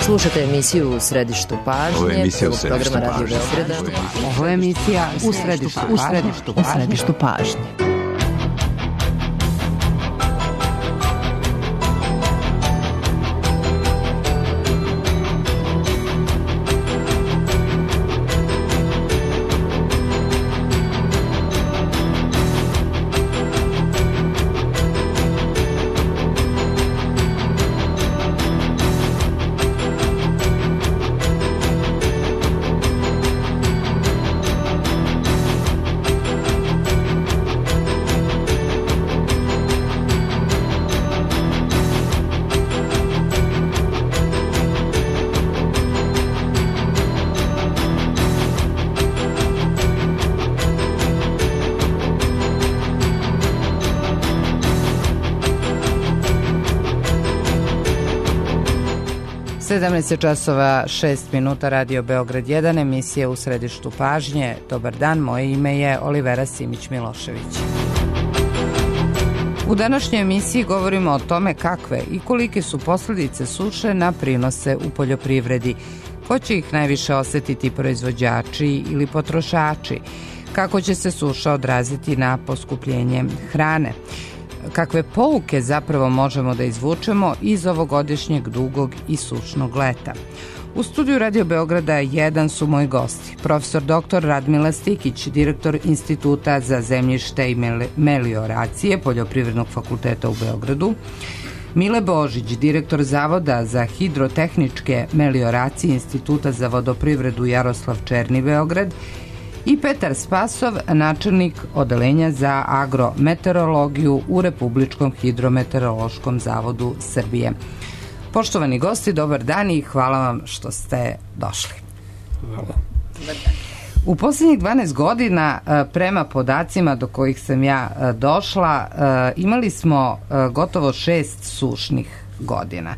Slušate emisiju U središtu pažnje, programa Radio Beograda. Ovo je emisija U središtu pažnje. časova 6 minuta, Radio Beograd 1, emisija U središtu pažnje. Dobar dan, moje ime je Olivera Simić-Milošević. U današnjoj emisiji govorimo o tome kakve i kolike su posljedice suše na prinose u poljoprivredi. Ko će ih najviše osetiti, proizvođači ili potrošači? Kako će se suša odraziti na poskupljenje hrane? Kakve pouke zapravo možemo da izvučemo iz ovogodišnjeg dugog i sušnog leta? U studiju Radio Beograda 1 su moji gosti. Profesor dr. Radmila Stikić, direktor Instituta za zemljište i melioracije Poljoprivrednog fakulteta u Beogradu, Mile Božić, direktor Zavoda za hidrotehničke melioracije Instituta za vodoprivredu Jaroslav Černi Beograd, i Petar Spasov, načelnik odeljenja za agrometeorologiju u Republičkom hidrometeorološkom zavodu Srbije. Poštovani gosti, dobar dan i hvala vam što ste došli. Hvala. U posljednjih 12 godina, prema podacima do kojih sam ja došla, imali smo gotovo 6 sušnih godina.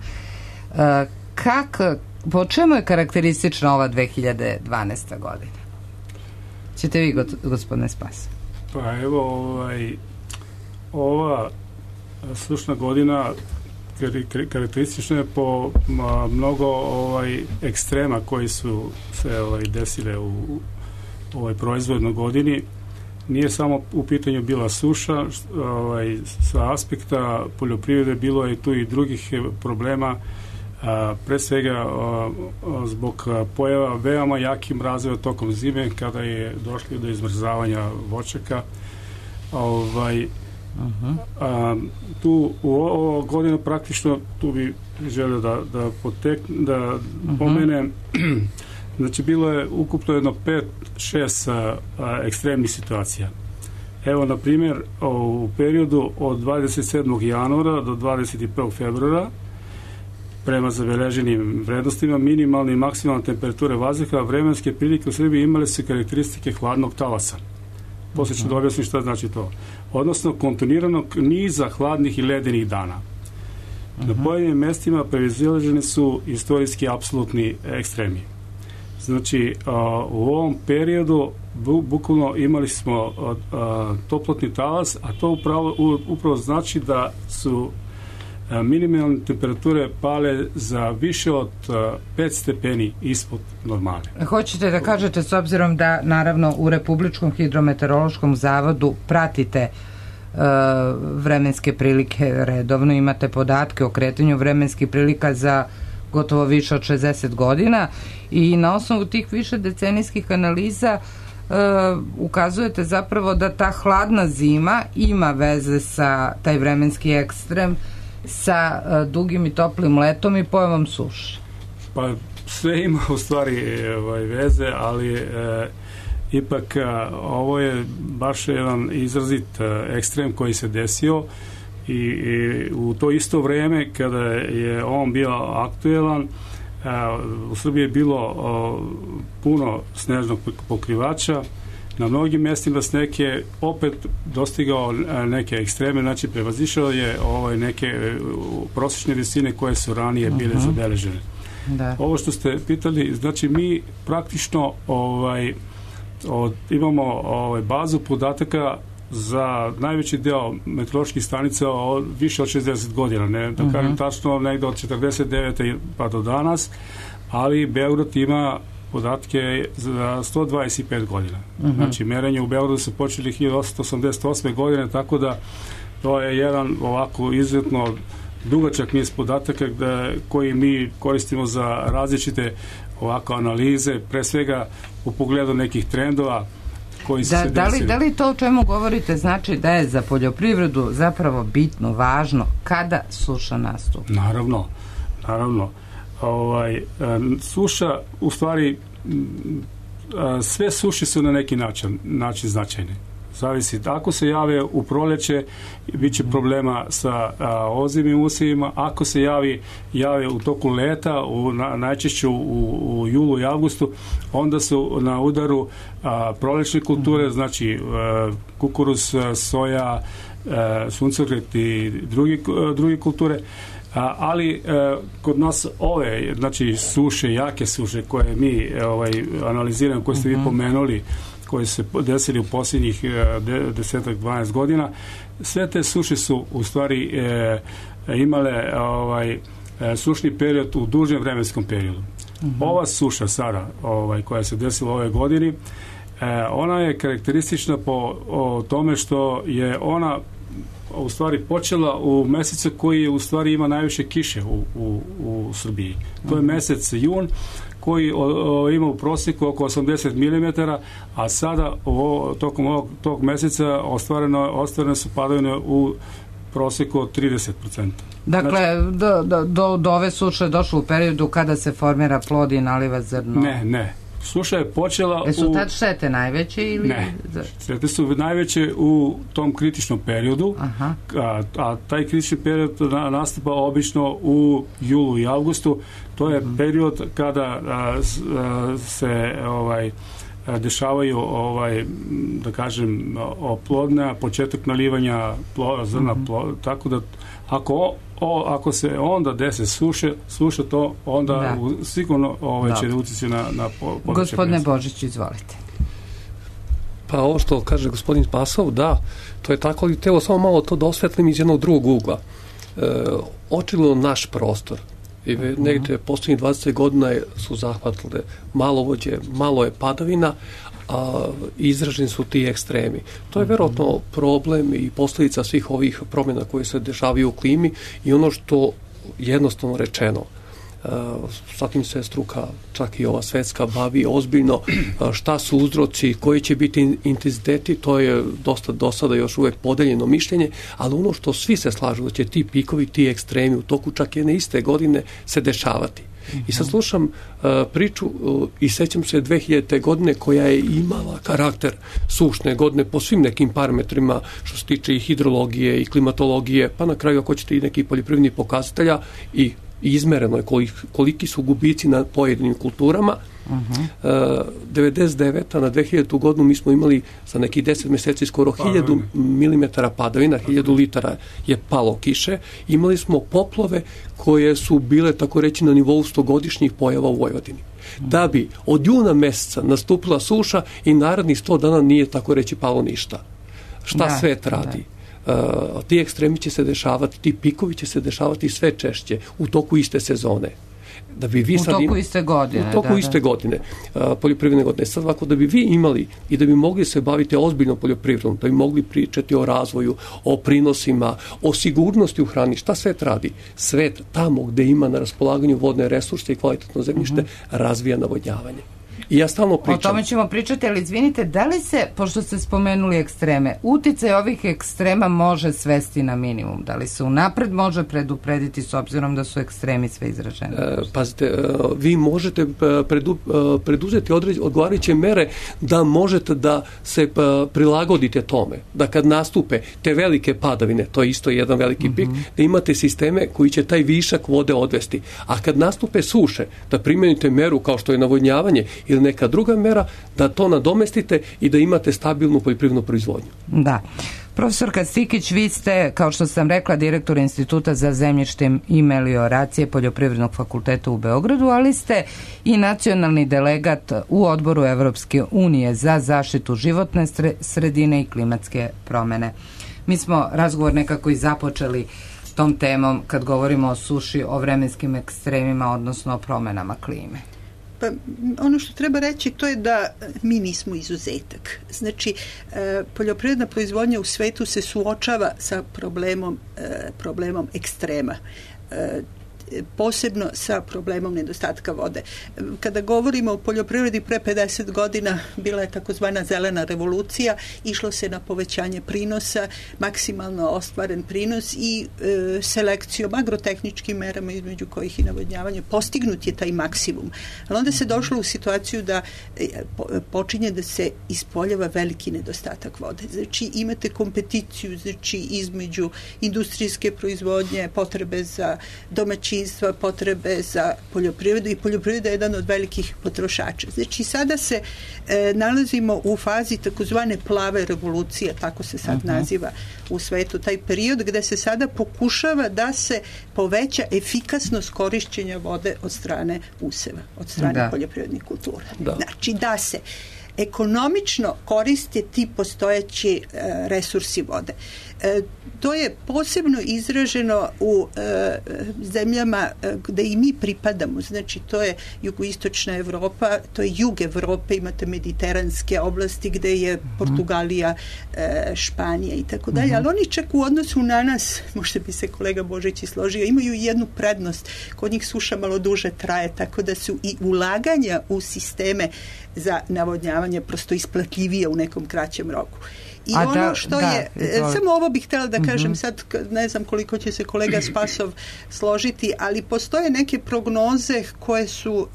Po čemu je karakteristična ova 2012. godina? Ćete vi, gospodine Spas? Pa evo, ova sušna godina karakteristična je po mnogo ekstrema koji su se desile u ovoj proizvodnoj godini. Nije samo u pitanju bila suša, sa aspekta poljoprivrede bilo je tu i drugih problema, pre svega zbog pojava veoma jakim mrazeva tokom zime kada je došlo do izmrzavanja voćaka. Tu u ovo godinu praktično tu bi želio da pomenem, znači bilo je ukupno jedno 5-6 ekstremnih situacija. Evo, na primjer, u periodu od 27. januara do 21. februara prema zabeleženim vrednostima minimalne i maksimalne temperature vazduha, vremenske prilike u Srbiji imale su karakteristike hladnog talasa. Poslije ću da objasnim šta znači to. Odnosno kontinuiranog niza hladnih i ledenih dana. Na pojedinim mestima prevazilaženi su istorijski apsolutni ekstremi. Znači, u ovom periodu bukvalno imali smo toplotni talas, a to upravo znači da su minimalne temperature pale za više od 5 stepeni ispod normale. Hoćete da kažete, s obzirom da naravno u Republičkom hidrometeorološkom zavodu pratite vremenske prilike redovno, imate podatke o kretanju vremenskih prilika za gotovo više od 60 godina i na osnovu tih više decenijskih analiza ukazujete zapravo da ta hladna zima ima veze sa taj vremenski ekstrem sa dugim i toplim letom i pojavom suše. Pa sve ima u stvari veze, ali ipak ovo je baš jedan izrazit ekstrem koji se desio i u to isto vreme kada je on bio aktuelan, u Srbiji je bilo puno snežnog pokrivača. Na mnogim mjestima sneg je opet dostigao neke ekstreme, znači prevazišao je neke prosječne visine koje su ranije bile zabeležene. Da. Ovo što ste pitali, znači mi praktično imamo bazu podataka za najveći deo meteoroloških stanica više od 60 godina, ne da kažem tačno, negde od 49. pa do danas, ali Beograd ima podatke za 125 godina. Znači, merenje u Beogradu su počeli 1888. godine, tako da to je jedan ovako izuzetno dugačak niz podataka koji mi koristimo za različite ovako analize, pre svega u pogledu nekih trendova koji se desili. Da li to o čemu govorite znači da je za poljoprivredu zapravo bitno, važno kada suša nastupi? Naravno. Suša, u stvari, sve suše su na neki način značajne. Zavisi. Ako se jave u proleće, bit će problema sa ozimim usjevima. Ako se jave u toku leta, najčešće u julu i avgustu, onda su na udaru prolećne kulture, znači kukuruz, soja, suncokret i druge kulture. Ali kod nas ove, znači suše, jake suše koje mi analiziramo, koje ste vi pomenuli, koji se desili u posljednjih 10-12 godina, sve te suše su u stvari imale sušni period u dužem vremenskom periodu. Ova suša sada, koja se desila ove godini, ona je karakteristična po tome što je ona u stvari počela u mesecu koji je u stvari ima najviše kiše u Srbiji. To je mesec jun, koji ima u prosjeku oko 80 mm, a sada tokom tog meseca ostvarene su padavine u prosjeku od 30%. Dakle, do ove suše je došlo u periodu kada se formira plod i naliva zrno? Ne. Suša je počela su tad štete najveće ili? Ne, štete su najveće u tom kritičnom periodu, a taj kritični period nastupa obično u julu i avgustu. To je period kada se dešavaju da kažem oplodnja, početak nalivanja zrna, tako da ako se onda dese suša, to onda sigurno će utjecati na područje. Gospodine Božić, izvolite. Pa ovo što kaže gospodin Spasov, da, to je tako, ali teo samo malo to da osvetlim iz jednog drugog ugla. Očigledno naš prostor i negdje posljednjih 20 godina su zahvatile malovođe, malo je padavina, a izraženi su ti ekstremi. To je vjerojatno problem i posljedica svih ovih promjena koje se dešavaju u klimi i ono što jednostavno rečeno, sa tim se struka, čak i ova svetska, bavi ozbiljno, šta su uzroci, koji će biti intenziteti, to je dosta do sada još uvijek podeljeno mišljenje, ali ono što svi se slažu da će ti pikovi, ti ekstremi u toku čak jedne iste godine se dešavati. I sad slušam priču i sećam se 2000. godine koja je imala karakter sušne godine po svim nekim parametrima što se tiče i hidrologije i klimatologije, pa na kraju ako ćete i neki poljoprivredni pokazatelja i izmereno je koliki su gubici na pojedinim kulturama. 99. na 2000. godinu mi smo imali za nekih 10 mjeseci skoro 1000 mm padavina, 1000 litara je palo kiše. Imali smo poplove koje su bile, tako reći, na nivou 100-godišnjih pojava u Vojvodini. Da bi od juna mjeseca nastupila suša i narednih 100 dana nije, tako reći, palo ništa. Šta svet radi? Ti ekstremi će se dešavati, ti pikovi će se dešavati sve češće u toku iste sezone. Da bi vi u toku iste godine. Poljoprivredne godine. Sad ovako, da bi vi imali i da bi mogli se baviti ozbiljno poljoprivredom, da bi mogli pričati o razvoju, o prinosima, o sigurnosti u hrani, šta svet radi? Svet tamo gde ima na raspolaganju vodne resurse i kvalitetno zemljište razvija navodnjavanje. I ja stalno pričam. O tome ćemo pričati, ali izvinite, da li se, pošto ste spomenuli ekstreme, uticaj ovih ekstrema može svesti na minimum? Da li se unapred može preduprediti s obzirom da su ekstremi sve izraženi? Pazite, vi možete preduzeti odgovarajuće mere da možete da se prilagodite tome. Da kad nastupe te velike padavine, to je isto jedan veliki pik, da imate sisteme koji će taj višak vode odvesti. A kad nastupe suše, da primenite meru kao što je navodnjavanje ili neka druga mera, da to nadomestite i da imate stabilnu poljoprivrednu proizvodnju. Da. Profesorka Stikić, vi ste, kao što sam rekla, direktor Instituta za zemljište i melioracije Poljoprivrednog fakulteta u Beogradu, ali ste i nacionalni delegat u Odboru Evropske unije za zaštitu životne sredine i klimatske promene. Mi smo razgovor nekako i započeli tom temom kad govorimo o suši, o vremenskim ekstremima, odnosno o promenama klime. Pa ono što treba reći to je da mi nismo izuzetak. Znači, poljoprivredna proizvodnja u svetu se suočava sa problemom ekstrema. Posebno sa problemom nedostatka vode. Kada govorimo o poljoprivredi pre 50 godina bila je takozvana zelena revolucija, išlo se na povećanje prinosa, maksimalno ostvaren prinos i selekcijom, agrotehničkim merama između kojih i navodnjavanje, postignut je taj maksimum. Ali onda se došlo u situaciju da počinje da se ispoljava veliki nedostatak vode. Znači imate kompeticiju između industrijske proizvodnje, potrebe za domaćinstvo, potrebe za poljoprivredu i poljoprivreda je jedan od velikih potrošača. Znači sada se nalazimo u fazi takozvane plave revolucije, tako se sad naziva u svetu taj period gde se sada pokušava da se poveća efikasnost korišćenja vode od strane useva, od strane poljoprivrednih kultura. Znači da se ekonomično koriste ti postojeći resursi vode. To je posebno izraženo u zemljama gde i mi pripadamo. Znači, to je jugoistočna Evropa, to je jug Evrope, imate mediteranske oblasti gde je Portugalija, Španija i tako dalje, ali oni čak u odnosu na nas, možda bi se kolega Božić i složio, imaju jednu prednost. Kod njih suša malo duže traje, tako da su i ulaganja u sisteme za navodnjavanje prosto isplatljivije u nekom kraćem roku. I ono što je, samo ovo bih htjela da kažem, sad ne znam koliko će se kolega Spasov složiti, ali postoje neke prognoze koje su,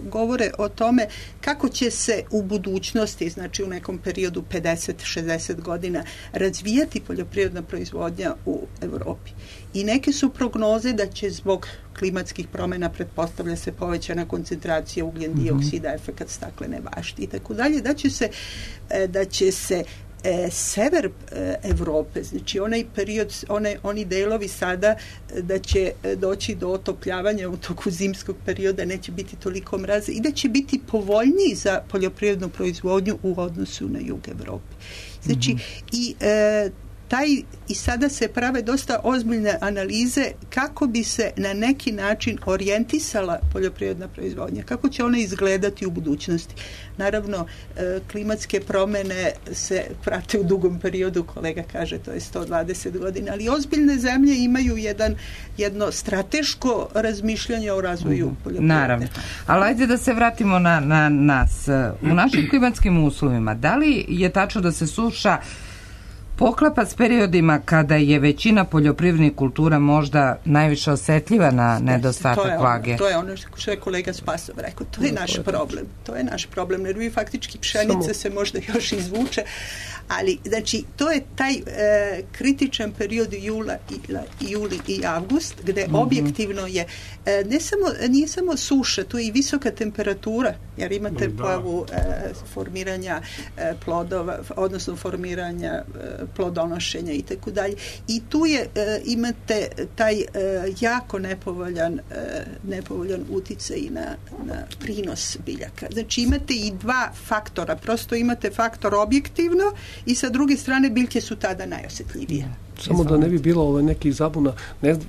govore o tome kako će se u budućnosti, znači u nekom periodu 50-60 godina, razvijati poljoprivredna proizvodnja u Evropi. I neke su prognoze da će zbog klimatskih promjena, pretpostavlja se povećana koncentracija ugljen dioksida, efekat staklene bašte i tako dalje, da će se sever Evrope, znači onaj period, oni delovi sada da će doći do otopljavanja u toku zimskog perioda, neće biti toliko mraza i da će biti povoljniji za poljoprivrednu proizvodnju u odnosu na jug Evrope. Znači i sada se prave dosta ozbiljne analize kako bi se na neki način orijentisala poljoprivredna proizvodnja, kako će ona izgledati u budućnosti. Naravno, klimatske promene se prate u dugom periodu, kolega kaže to je 120 godina, ali ozbiljne zemlje imaju jedno strateško razmišljanje o razvoju poljoprivrede. Naravno, ali ajde da se vratimo na nas. U našim klimatskim uslovima, da li je tačno da se suša poklapa s periodima kada je većina poljoprivrednih kultura možda najviše osetljiva na nedostatak vlage? To je ono što je kolega Spasov rekao. To je naš problem. To je naš problem, jer vi faktički pšenica se možda još izvuče, ali znači to je taj kritičan period juli i avgust, gde objektivno je nije samo suša, tu je i visoka temperatura, jer imate pojavu formiranja plodova, odnosno formiranja plodonošenja i tako dalje. I tu imate taj jako nepovoljan uticaj na prinos biljaka. Znači imate i dva faktora. Prosto imate faktor objektivno i sa druge strane biljke su tada najosjetljivije. Samo da ne bi bilo nekih zabuna,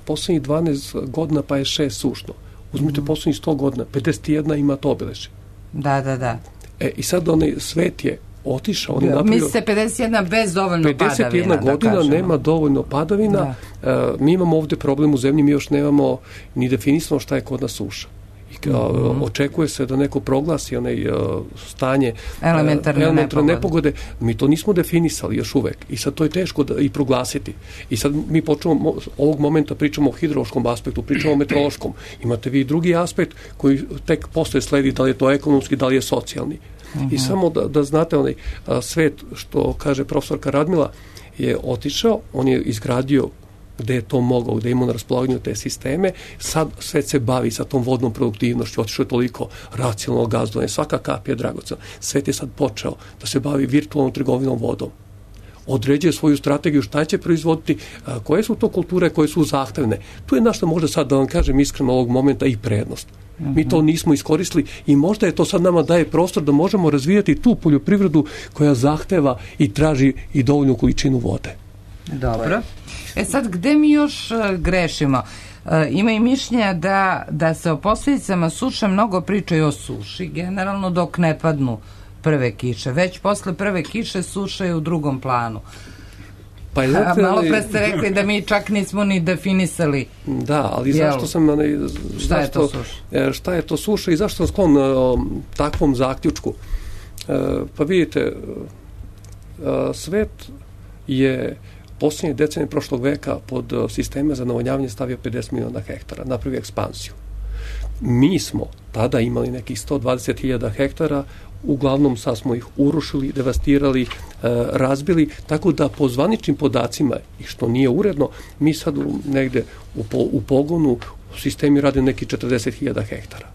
posljednjih 12 godina pa je 6 sušno. Uzmite posljednjih 100 godina, 51 ima to obiležje. Da. I sad svet je otišao. On je napravio, mislite 51 bez dovoljno padavina. 51 godina nema dovoljno padavina. Mi imamo ovdje problem u zemlji, mi još nemamo ni definisano šta je kod nas suša. Očekuje se da neko proglasi stanje elementarne nepogode. Mi to nismo definisali još uvek i sad to je teško i proglasiti. I sad mi počnemo ovog momenta pričamo o hidrološkom aspektu, pričamo o meteorološkom. Imate vi drugi aspekt koji tek posle sledi, da li je to ekonomski, da li je socijalni. I samo da znate, svet, što kaže profesorka Radmila, je otišao, on je izgradio gde je to mogao, gde je imao na raspolaganju te sisteme, sad svet se bavi sa tom vodnom produktivnošću, otišao je toliko racionalno gazdovanje, svaka kap je dragocena. Svet je sad počeo da se bavi virtualnom trgovinom vodom. određuje svoju strategiju šta će proizvoditi, koje su to kulture koje su zahtevne. Tu je naša možda sad, da vam kažem iskreno ovog momenta, i prednost. Mi to nismo iskoristili i možda je to sad nama daje prostor da možemo razvijati tu poljoprivredu koja zahteva i traži i dovoljnu količinu vode. Dobro. Sad, gde mi još grešimo? Ima i mišljenja da se o posljedicama suše mnogo pričaju o suši, generalno dok ne padnu prve kiše. Već posle prve kiše suša je u drugom planu. Pa malo pre ste rekli da mi čak nismo ni definisali. Da, ali zašto sam... Šta je to suša i zašto sam sklon takvom zaključku? Pa vidite, svet je posljednje decenije prošlog veka pod sisteme za navodnjavanje stavio 50 miliona hektara, napravio ekspansiju. Mi smo tada imali nekih 120.000 hektara, uglavnom sad smo ih urušili, devastirali, razbili, tako da po zvaničnim podacima, i što nije uredno, mi sad negde u pogonu u sistemi rade neki 40.000 hektara.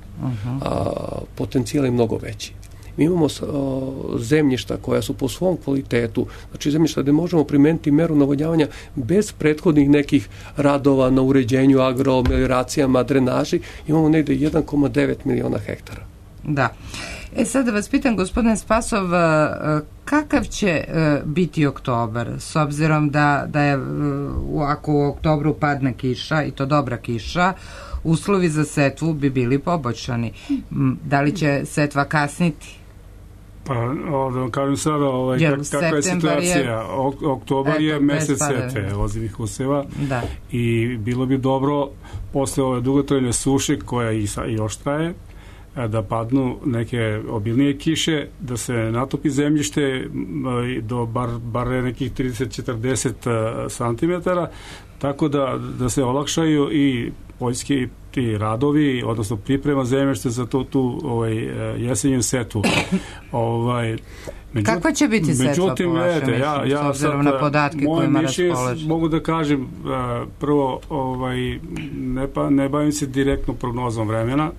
A potencijal je mnogo veći. Mi imamo zemljišta koja su po svom kvalitetu, znači zemljišta gde možemo primeniti meru navodnjavanja bez prethodnih nekih radova na uređenju, agromelioracijama, drenaži, imamo negde 1,9 miliona hektara. Da. Sad da vas pitam, gospodine Spasov, kakav će biti oktobar, s obzirom da je, ako u oktobru padne kiša, i to dobra kiša, uslovi za setvu bi bili poboljšani. Da li će setva kasniti? Pa, da vam kažem sada, kakva je situacija. Oktobar je mesec setve ozimih useva i bilo bi dobro posle ove dugotrajne suše koja i još traje, da padnu neke obilnije kiše, da se natopi zemljište do bar nekih 30-40 cm, tako da se olakšaju i poljski ti radovi, odnosno priprema zemljišta za tu jesenju setvu. Kakva će biti setva po vašem mišljenju, s obzirom na podatke kojima raspolažete? Mogu da kažem, prvo, ne bavim se direktno prognozom vremena.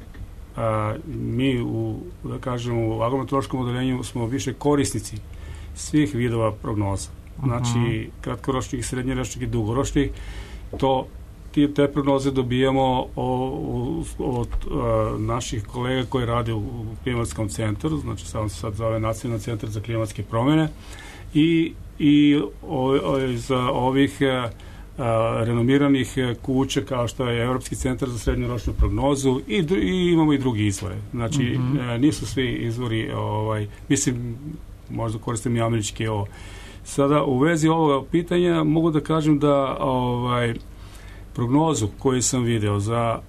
Mi u agrometeorološkom odeljenju smo više korisnici svih vidova prognoza. Znači, kratkoročnih, srednjoročnih i dugoročnih. Te prognoze dobijamo od naših kolega koji rade u klimatskom centru, znači sad zove Nacionalni centar za klimatske promjene, i za ovih renomiranih kuća kao što je Evropski centar za srednjoročnu prognozu i imamo i drugi izvore. Znači, nisu svi izvori, mislim, možda koristim i američki ovo. Sada, u vezi ovoga pitanja mogu da kažem da prognozu koju sam video za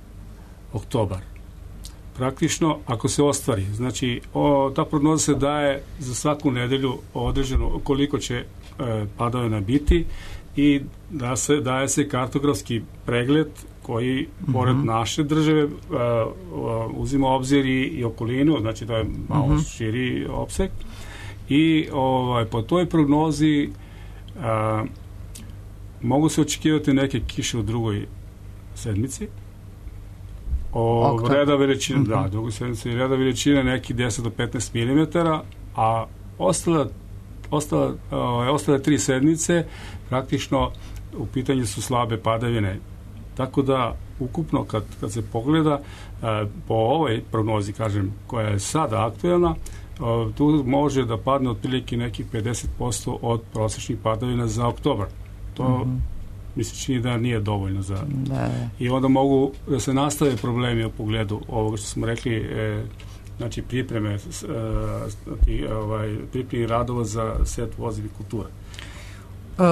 oktobar, praktično, ako se ostvari, znači, ta prognoza se daje za svaku nedelju određeno koliko će padavina biti i daje se kartografski pregled koji, pored naše države, uzima obzir i okolinu, znači da je malo širi opseg. I po toj prognozi mogu se očekivati neke kiše u drugoj sedmici. Reda veličine, drugoj sedmici reda veličine neki 10 do 15 mm, a ostale 3 sedmice praktično u pitanju su slabe padavine. Tako da, ukupno, kad se pogleda po ovoj prognozi, kažem, koja je sada aktuelna, tu može da padne otprilike nekih 50% od prosječnih padavina za oktobar. To mi se čini da nije dovoljno za... I onda mogu da se nastave problemi u pogledu ovoga što smo rekli, znači pripreme radova za setvu ozimih kultura.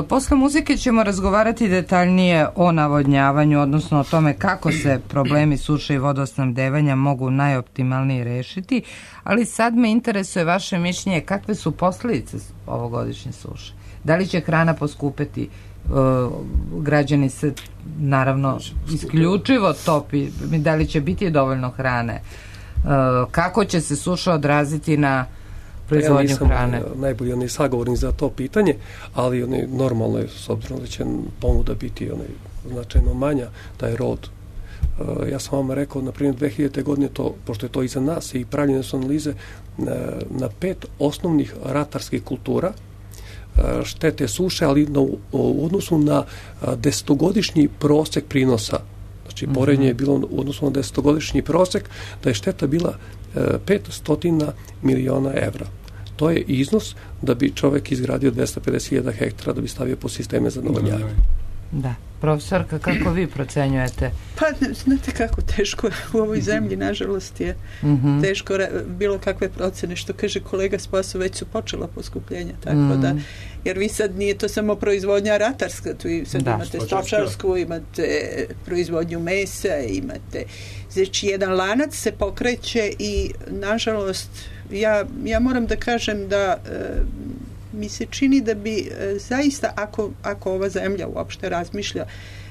Posle muzike ćemo razgovarati detaljnije o navodnjavanju, odnosno o tome kako se problemi suše i vodosnabdevanja mogu najoptimalnije rešiti, ali sad me interesuje vaše mišljenje kakve su posljedice ovogodišnje suše. Da li će hrana poskupeti? Građani se naravno isključivo topi, da li će biti dovoljno hrane? Kako će se suša odraziti na proizvodnju hrane? Ja nisam najbolji sagovornik za to pitanje, ali normalno je, s obzirom da će ponuda biti značajno manja, taj rod. Ja sam vam rekao, na primjer, 2000. godine, pošto je to iza nas i pravljene su analize, na 5 osnovnih ratarskih kultura štete suše, ali u odnosu na 10-godišnji prosek prinosa. Znači, poređenje je bilo u odnosu na 10-godišnji prosek, da je šteta bila 500 miliona evra. To je iznos da bi čovek izgradio 250.000 hektara da bi stavio po sisteme za navodnjavanje. Da. Profesorka, kako vi procenjujete? Pa, znate kako teško u ovoj zemlji, nažalost, je teško bilo kakve procene, što kaže kolega Spasov, već su počela poskupljenja, tako da, jer vi sad nije to samo proizvodnja ratarska, tu sad imate stočarsku, imate proizvodnju mesa, imate, znači jedan lanac se pokreće i, nažalost, ja moram da kažem da mi se čini da bi zaista, ako ova zemlja uopšte razmišlja,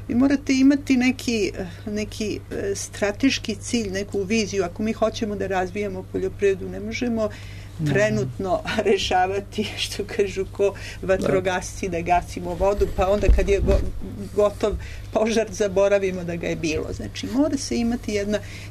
vi morate imati neki strateški cilj, neku viziju. Ako mi hoćemo da razvijamo poljoprivredu, ne možemo trenutno rešavati, što kažu, ko vatrogasci, da gasimo vodu, pa onda kad je gotov požar, zaboravimo da ga je bilo. Znači, mora se imati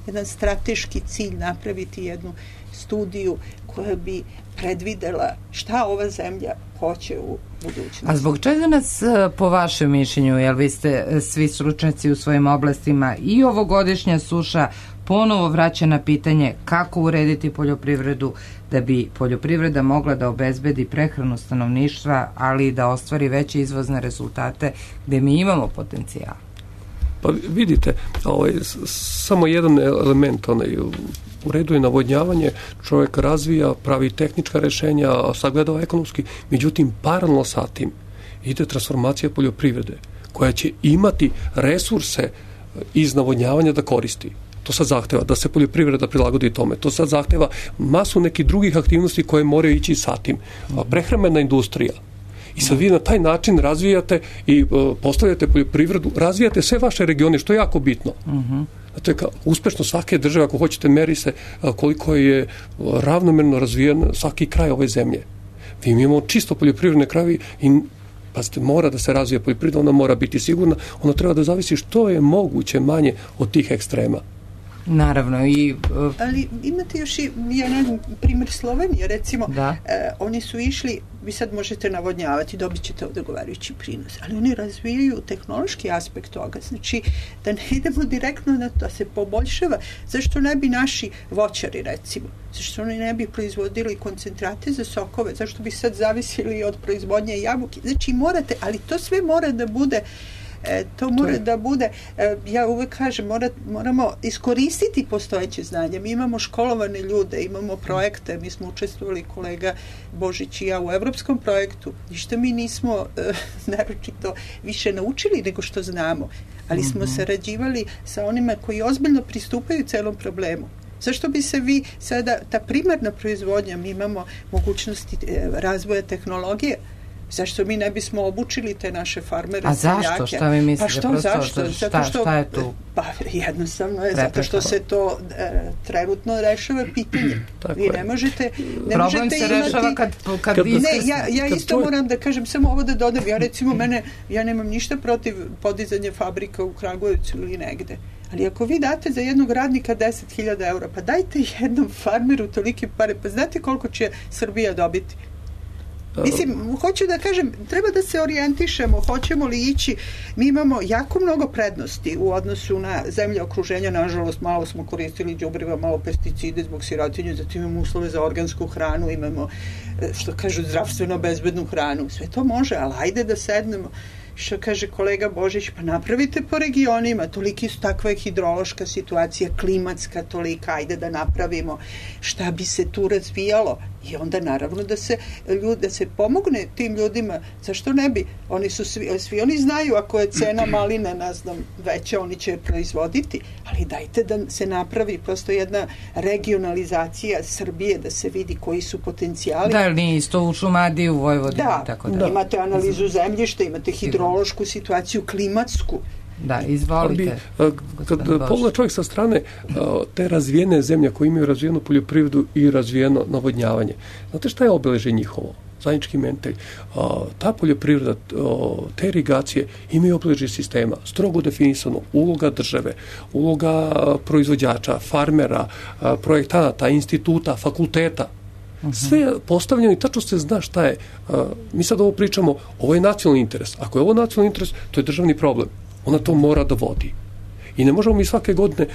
jedan strateški cilj, napraviti jednu studiju koja bi predvidela šta ova zemlja hoće u budućnosti. A zbog čega nas, po vašem mišljenju, jer vi ste svi stručnjaci u svojim oblastima, i ovogodišnja suša ponovo vraća na pitanje kako urediti poljoprivredu da bi poljoprivreda mogla da obezbedi prehranu stanovništva, ali i da ostvari veće izvozne rezultate gde mi imamo potencijal? Pa vidite, samo jedan element, u redu je navodnjavanje, čovjek razvija, pravi tehnička rešenja, sagledava ekonomski, međutim, paralelno sa tim ide transformacija poljoprivrede, koja će imati resurse iz navodnjavanja da koristi. To sad zahteva da se poljoprivreda prilagodi tome. To sad zahteva masu nekih drugih aktivnosti koje moraju ići sa tim. Prehrambena industrija. I sad vi na taj način razvijate i postavljate poljoprivredu, razvijate sve vaše regione, što je jako bitno. Znate, uspešno svake države, ako hoćete, meri se koliko je ravnomerno razvijen svaki kraj ove zemlje. Vi imamo čisto poljoprivredne krajevi i pazite, mora da se razvije poljoprivreda, ona mora biti sigurna, ona treba da zavisi što je moguće manje od tih ekstrema. Naravno. Ali imate još i, ja ne znam, primjer Slovenije, recimo, oni su išli, vi sad možete navodnjavati, dobit ćete odgovarajući prinos, ali oni razvijaju tehnološki aspekt toga, znači da ne idemo direktno na to, da se poboljšava. Zašto ne bi naši voćari, recimo, zašto oni ne bi proizvodili koncentrate za sokove, zašto bi sad zavisili od proizvodnje jabuke, znači morate, ali to sve mora da bude da bude, ja uvek kažem, moramo iskoristiti postojeće znanje. Mi imamo školovane ljude, imamo projekte, mi smo učestvovali, kolega Božić i ja, u evropskom projektu. Ništa mi nismo naročito više naučili nego što znamo, ali smo sarađivali sa onima koji ozbiljno pristupaju celom problemu. Zašto bi se vi sada, ta primarna proizvodnja, mi imamo mogućnosti razvoja tehnologije, zašto mi ne bismo obučili te naše farmere? A zašto? Šta vi mislite? Pa zašto? Šta je tu? Pa jednostavno je zato što se to trenutno rešava pitanje. Vi ne možete problem se rešava kad vi... Ne, ja isto moram da kažem, samo ovo da dodam, ja recimo ja nemam ništa protiv podizanja fabrika u Kragujevcu ili negde. Ali ako vi date za jednog radnika 10.000 eura, pa dajte jednom farmeru tolike pare, pa znate koliko će Srbija dobiti? Mislim, hoću da kažem, treba da se orijentišemo, hoćemo li ići, mi imamo jako mnogo prednosti u odnosu na zemlje okruženja, nažalost malo smo koristili đubriva, malo pesticide zbog sirotinje, zatim imamo uslove za organsku hranu, imamo, što kažu, zdravstveno bezbednu hranu, sve to može, ali ajde da sednemo, što kaže kolega Božić, pa napravite po regionima, toliki su, takva je hidrološka situacija, klimatska tolika, ajde da napravimo šta bi se tu razvijalo i onda naravno da se pomogne tim ljudima, zašto ne bi, oni su svi oni znaju ako je cena maline, ne znam, veća, oni će proizvoditi, ali dajte da se napravi prosto jedna regionalizacija Srbije, da se vidi koji su potencijali. Da, nije isto u Šumadiji, u Vojvodini, tako da. Imate analizu zemljišta, imate hidrološku situaciju, klimatsku. Da, izvolite. Kad pogleda čovjek sa strane te razvijene zemlje koje imaju razvijenu poljoprivredu i razvijeno navodnjavanje, znate šta je obeležje njihovo? Zajednički mentalj. Ta poljoprivreda, te irigacije imaju obeležje sistema, strogo definisano, uloga države, uloga proizvođača, farmera, projektanata, instituta, fakulteta. Sve je postavljeno i tačno se zna šta je. Mi sad ovo pričamo, ovo je nacionalni interes. Ako je ovo nacionalni interes, to je državni problem. Ona to mora da vodi. I ne možemo mi svake godine,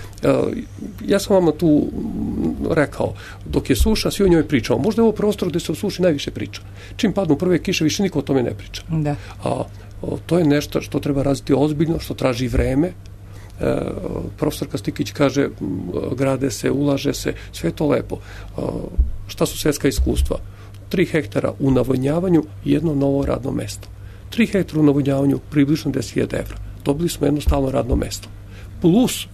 ja sam vama tu rekao, dok je suša, svi o njoj pričamo. Možda je ovo prostor gde se o suši najviše priča. Čim padnu prve kiše, više niko o tome ne priča. Da. To je nešto što treba razviti ozbiljno, što traži vreme. Profesorka Stikić kaže, grade se, ulaže se, sve je to lepo. Šta su svetska iskustva? 3 hektara u navodnjavanju i jedno novo radno mesto. 3 hektara u navodnjavanju, približno 10.000 evra. Dobili smo jedno stalno radno mesto. Plus,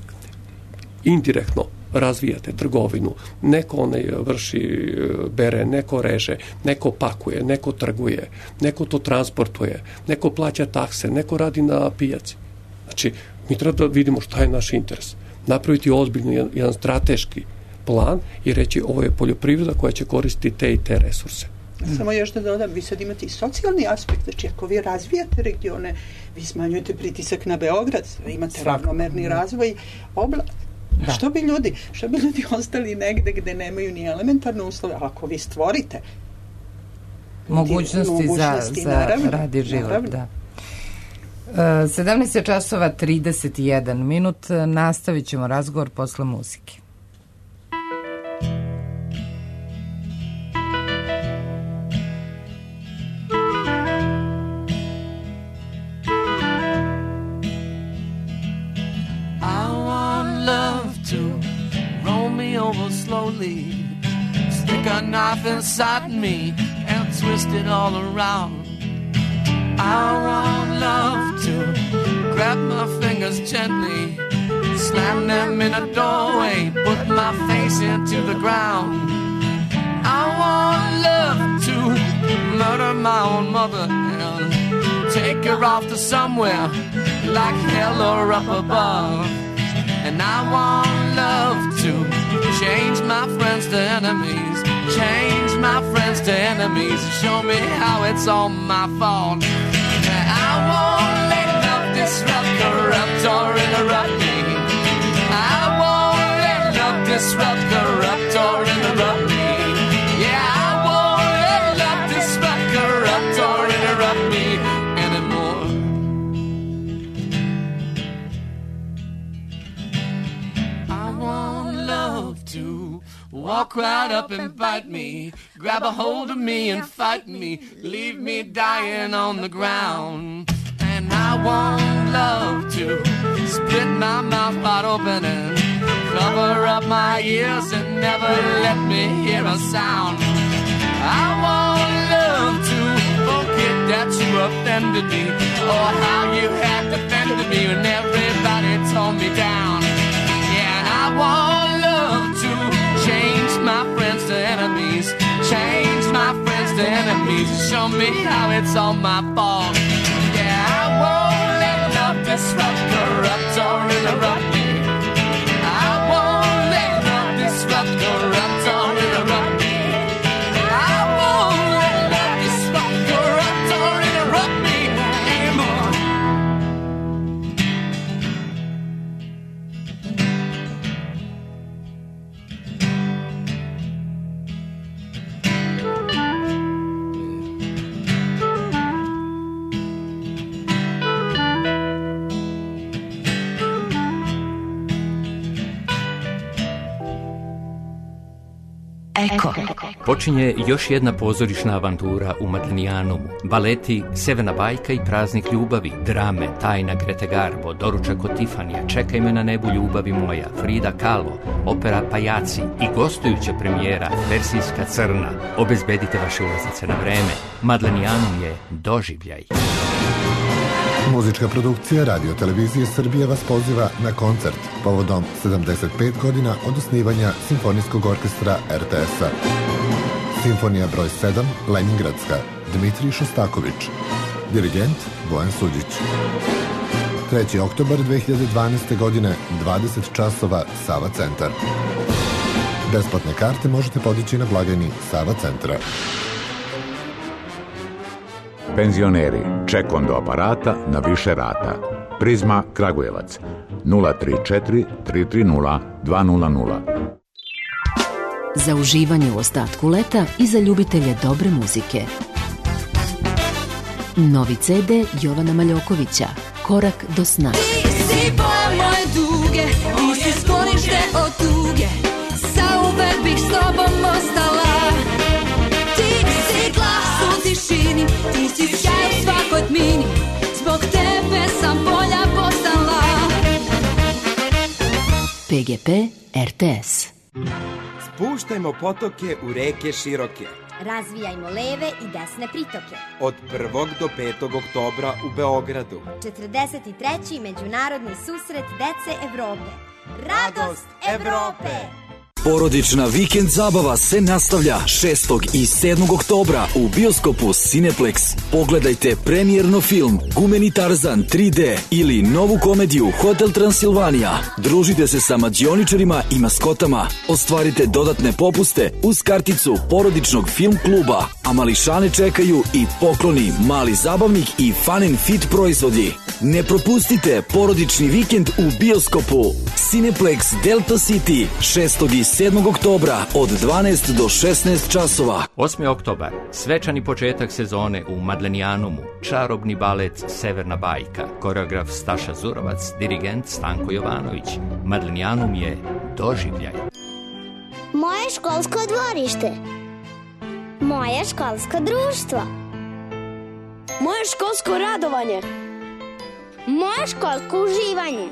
indirektno razvijate trgovinu. Neko vrši, bere, neko reže, neko pakuje, neko trguje, neko to transportuje, neko plaća takse, neko radi na pijaci. Znači, mi treba da vidimo šta je naš interes. Napraviti ozbiljno jedan strateški plan i reći ovo je poljoprivreda koja će koristiti te i te resurse. Samo još da dodam, vi sad imate i socijalni aspekt, znači ako vi razvijate regione, vi smanjujete pritisak na Beograd, imate ravnomerni razvoj Što bi ljudi ostali negde gde nemaju ni elementarne uslove, ako vi stvorite mogućnosti za rad i život, da. 17 časova 31 minut, nastavit ćemo razgovor posle muzike. Slowly stick a knife inside me and twist it all around. I want love to grab my fingers gently, slam them in a doorway, put my face into the ground. I want love to murder my own mother and take her off to somewhere like hell or up above. And I want love to change my friends to enemies, change my friends to enemies, show me how it's all my fault. I won't let love disrupt, corrupt, or interrupt me. I won't let love disrupt, corrupt, or interrupt me. Yeah, I won't let love disrupt, corrupt, or interrupt me anymore. I want love to walk right up and bite me, grab a hold of me and fight me, leave me dying on the ground. And I want love to split my mouth wide open and cover up my ears and never let me hear a sound. I want love to forget that you offended me, or how you had defended me when everybody tore me down. Yeah, and I want love to change my friends to enemies, change my friends to enemies, show me how it's all my fault. Yeah, I won't let love disrupt, corrupt, or interrupt me. I won't let love disrupt, corrupt, or interrupt me. I won't let love disrupt, corrupt, or interrupt me anymore. Eko. Počinje još jedna pozorišna avantura u Madlenijanumu. Baleti Severna bajka i Praznik ljubavi, drame Tajna Grete Garbo, Doručak od Tifanija, Čekaj me na nebu ljubavi moja, Frida Kahlo, opera Pajaci i gostujuća premijera Persijska crna. Obezbedite vaše ulaznice na vreme. Madlenijanum je doživljaj. Muzička produkcija Radio Televizije Srbije vas poziva na koncert povodom 75 godina od osnivanja Simfonijskog orkestra RTS-a. Simfonija broj 7, Leningradska, Dmitrij Šostaković. Dirigent Bojan Suđić. 3. oktobar 2012. godine, 20 časova, Sava centar. Besplatne karte možete podići na blagajni Sava centra. Penzioneri, ček on do aparata na više rata. Prizma Kragujevac 034 330 200. za uživanje u ostatku leta i za ljubitelje dobre muzike. Novi CD Jovana Maljokovića, Korak do sna. Ti si boja moje duge, ti si sklonište od tuge, zauvek bih s tobom ostala. Ti si glas u tišini, ti si sjaj u svakoj tmini, zbog tebe sam bolja postala. PGP RTS. Spuštajmo potoke u reke široke. Razvijajmo leve i desne pritoke. Od 1. do 5. oktobra u Beogradu. 43. međunarodni susret dece Evrope. Radost Evrope! Porodična vikend zabava se nastavlja 6. i 7. oktobra u bioskopu Cineplex. Pogledajte premijerno film Gumeni Tarzan 3D ili novu komediju Hotel Transilvanija. Družite se sa mađioničarima i maskotama. Ostvarite dodatne popuste uz karticu porodičnog film kluba. A mališane čekaju i pokloni, mali zabavnik i fun and fit proizvodi. Ne propustite porodični vikend u bioskopu Cineplex Delta City 6. i 7. oktobra od 12 do 16 časova. 8. oktobar, svečani početak sezone u Madlenijanumu, čarobni balet Severna bajka, koreograf Staša Zurovac, dirigent Stanko Jovanović. Madlenijanum je doživljaj. Moje školsko dvorište. Moje školsko društvo. Moje školsko radovanje. Moje školsko uživanje.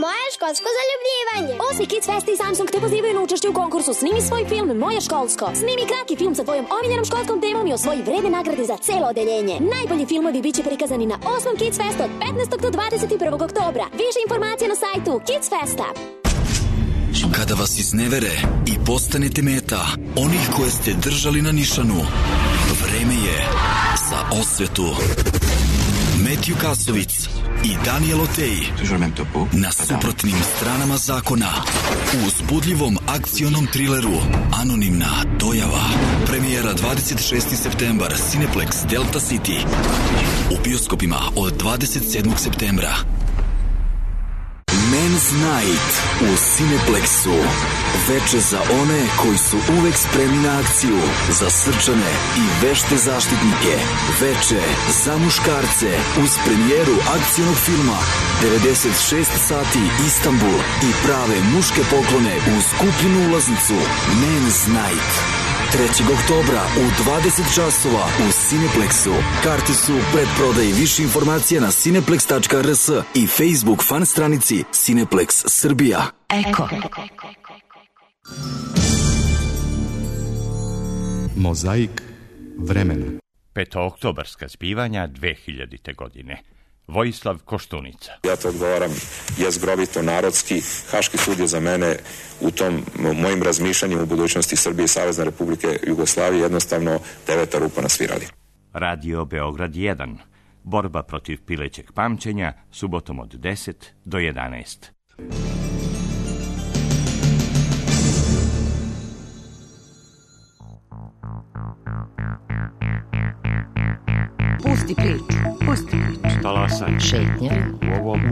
Moje školsko zaljubljivanje. 8. Kids Fest i Samsung te pozivaju na učešće u konkursu Snimi svoj film Moje školsko. Snimi kratki film sa tvojom omiljenom školskom temom i osvoji vredne nagrade za celo odeljenje. Najbolji filmovi biće prikazani na 8. Kids Fest od 15. do 21. oktobra. Više informacija na sajtu Kids Festa. Kada vas iznevere i postanete meta onih koje ste držali na nišanu, vreme je za osvetu. Matthew Kasovic i Daniel Otej na suprotnim stranama zakona u uzbudljivom akcionom trileru Anonimna dojava. Premijera 26. septembar, Cineplex Delta City. U bioskopima od 27. septembra. Men's Night u Cineplexu. Veče za one koji su uvek spremni na akciju, za srčane i vešte zaštitnike. Veče za muškarce uz premijeru akcionog filma 96 sati Istanbul i prave muške poklone uz kupljenu ulaznicu. Men's Night 3. oktobra u 20 časova u Cineplexu. Karte su u predprodaji. Više informacija na cineplex.rs i Facebook fan stranici Cineplex Srbija. Eko. Mozaik vremena. Petooktobarska zbivanja 2000. godine. Vojislav Koštunica. Ja to odgovaram jezgrovito, narodski. Haški sud je za mene u tom mojim razmišljanjem u budućnosti Srbije i Savezne Republike Jugoslavije jednostavno 9. rupa na svirali. Radio Beograd 1. Borba protiv pilećeg pamćenja, subotom od 10 do 11. Pusti priču, pusti priču. Talasaj. Šetnja.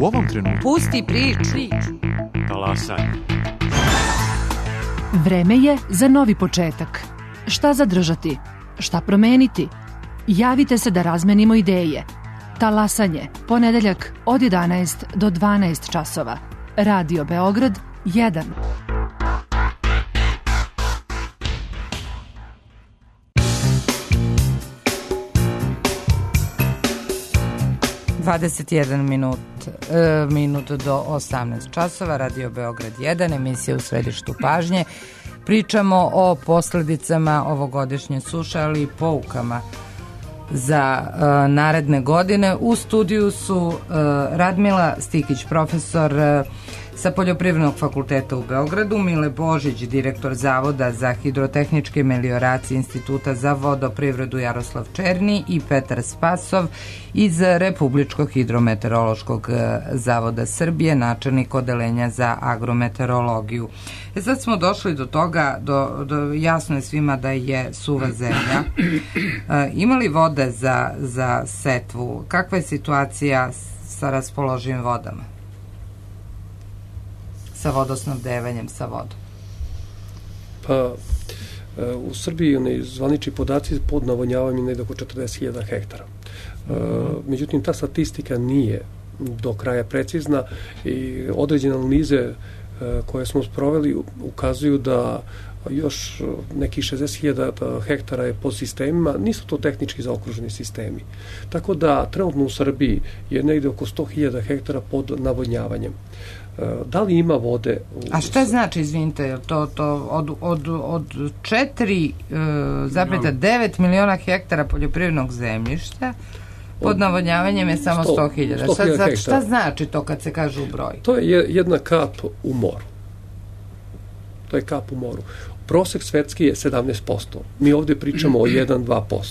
U ovom trenutku. Pusti priču. Talasaj. Vreme je za novi početak. Šta zadržati? Šta promeniti? Javite se da razmenimo ideje. Talasanje, ponedeljak od 11 do 12 časova. Radio Beograd 1. 21 minut do 18 časova, Radio Beograd 1, emisija u središtu pažnje. Pričamo o posledicama ovogodišnje suše, ali i poukama za naredne godine. U studiju su Radmila Stikić, profesor sa Poljoprivrednog fakulteta u Beogradu, Mile Božić, direktor Zavoda za hidrotehničke melioracije Instituta za vodoprivredu Jaroslav Černi i Petar Spasov iz Republičkog hidrometeorološkog zavoda Srbije, načelnik odeljenja za agrometeorologiju. Sad smo došli do toga, jasno je svima da je suva zemlja. Ima li vode za setvu? Kakva je situacija sa raspoloživim vodama? Sa vodosnabdevanjem, sa vodom? Pa u Srbiji zvanični podaci pod navodnjavanjem negdje oko 40.000 hektara. Međutim, ta statistika nije do kraja precizna i određene analize koje smo sproveli ukazuju da još nekih 60.000 hektara je pod sistemima, nisu to tehnički zaokruženi sistemi. Tako da trenutno u Srbiji je negdje oko 100.000 hektara pod navodnjavanjem. Da li ima vode? A šta znači, izvinite, to od 4,9 miliona hektara poljoprivrednog zemljišta pod navodnjavanjem je samo 100.000. Šta znači to kad se kaže u broj? To je jedna kap u moru. To je kap u moru. Prosek svetski je 17%. Mi ovdje pričamo o 1-2%.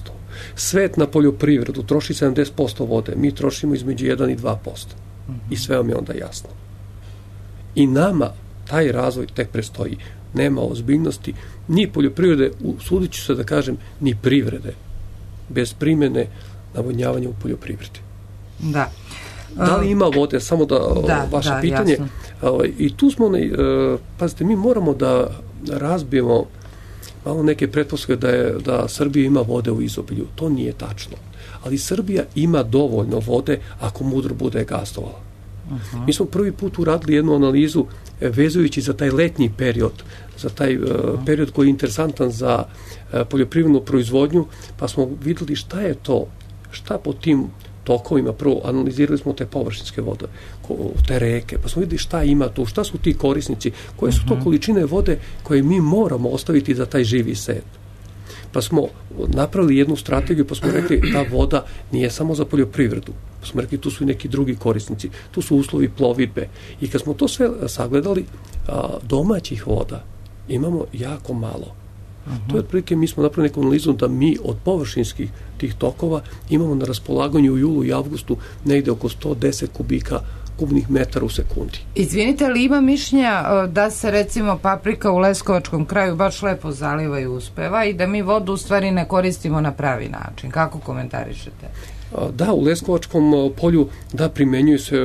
Svet na poljoprivredu troši 70% vode. Mi trošimo između 1 i 2%. I sve vam je onda jasno. I nama taj razvoj tek prestoji. Nema ozbiljnosti ni poljoprivrede, usudit ću se da kažem, ni privrede. Bez primjene navodnjavanja u poljoprivredi. Da. Da li ima vode? Samo vaše pitanje. I tu smo, pazite, mi moramo da razbijemo malo neke pretpostavke da Srbija ima vode u izobilju. To nije tačno. Ali Srbija ima dovoljno vode ako mudro bude gazdovala. Mi smo prvi put uradili jednu analizu vezujući za taj letnji period, za taj period koji je interesantan za poljoprivrednu proizvodnju, pa smo vidjeli šta je to, šta po tim tokovima, prvo analizirali smo te površinske vode, te reke, pa smo vidjeli šta ima tu, šta su ti korisnici, koje su to količine vode koje mi moramo ostaviti za taj živi svet. Pa smo napravili jednu strategiju, pa smo rekli ta voda nije samo za poljoprivredu. Pa smo rekli tu su i neki drugi korisnici, tu su uslovi plovidbe. I kad smo to sve sagledali, domaćih voda imamo jako malo. To je otprilike, mi smo napravili neku analizu da mi od površinskih tih tokova imamo na raspolaganju u julu i avgustu negde oko 110 kubnih metara u sekundi. Izvinite, ali ima mišljenja da se recimo paprika u Leskovačkom kraju baš lepo zaliva i uspeva i da mi vodu u stvari ne koristimo na pravi način? Kako komentarišete? Da, u Leskovačkom polju primenjuje se,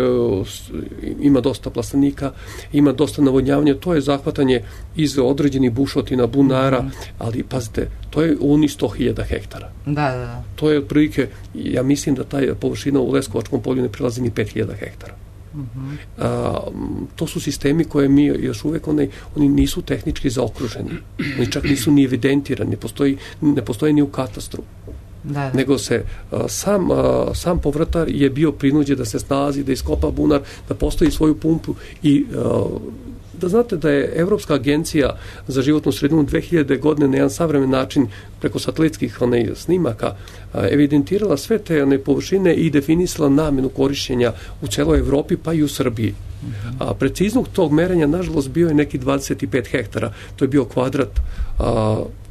ima dosta plastenika, ima dosta navodnjavanja, to je zahvatanje iz određenih bušotina, bunara, ali pazite, to je oni 100.000 hektara. Da. To je otprilike, ja mislim da taj površina u Leskovačkom polju ne prelazi ni 5.000 hektara. To su sistemi koje mi još uvek oni nisu tehnički zaokruženi, oni čak nisu ni evidentirani, ne postoji ni u katastru. Nego se sam povrtar je bio prinuđen da se snalazi, da iskopa bunar, da postavi svoju pumpu i da znate da je Evropska agencija za životnu sredinu 2000. godine na jedan savremen način preko satelitskih snimaka evidentirala sve te površine i definisala namenu korišćenja u celoj Evropi pa i u Srbiji. A preciznog tog merenja nažalost bio je neki 25 hektara. To je bio kvadrat.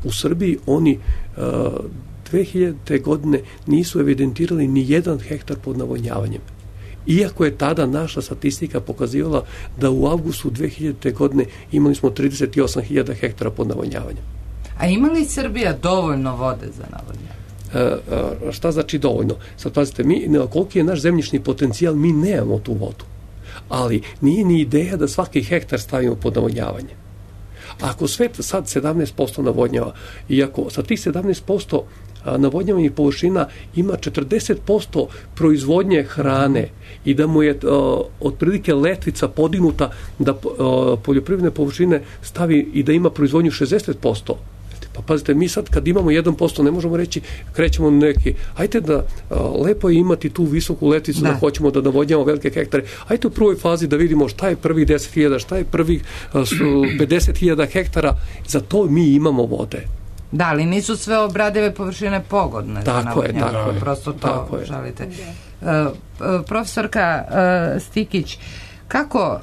U Srbiji oni 2000. godine nisu evidentirali ni 1 hektar pod navodnjavanjem. Iako je tada naša statistika pokazivala da u avgustu 2000. godine imali smo 38.000 hektara pod navodnjavanjem. A ima li Srbija dovoljno vode za navodnjavanje? Šta znači dovoljno? Sad pazite, koliki je naš zemljišni potencijal, mi nemamo tu vodu. Ali nije ni ideja da svaki hektar stavimo pod navodnjavanje. Ako svet sad 17% navodnjava, i ako sa tih 17% navodnjavanih površina ima 40% proizvodnje hrane i da mu je otprilike letvica podignuta da poljoprivredne površine stavi i da ima proizvodnju 60%. Pa pazite, mi sad kad imamo 1% ne možemo reći krećemo neki, ajte da lepo je imati tu visoku letvicu da hoćemo da navodnjamo velike hektare, ajte u prvoj fazi da vidimo šta je prvih 10.000, šta je prvih 50.000 hektara, za to mi imamo vode. Da, ali nisu sve obradive površine pogodne za navodnjavanje. Tako je. Prosto to želite. Profesorka Stikić, kako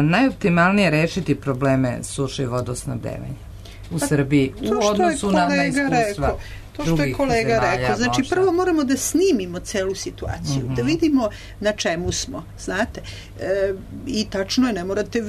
najoptimalnije rešiti probleme suše i vodosnabdevanja u Srbiji u odnosu na iskustva? To što je kolega rekao, znači prvo moramo da snimimo celu situaciju, da vidimo na čemu smo, znate. I tačno je, ne morate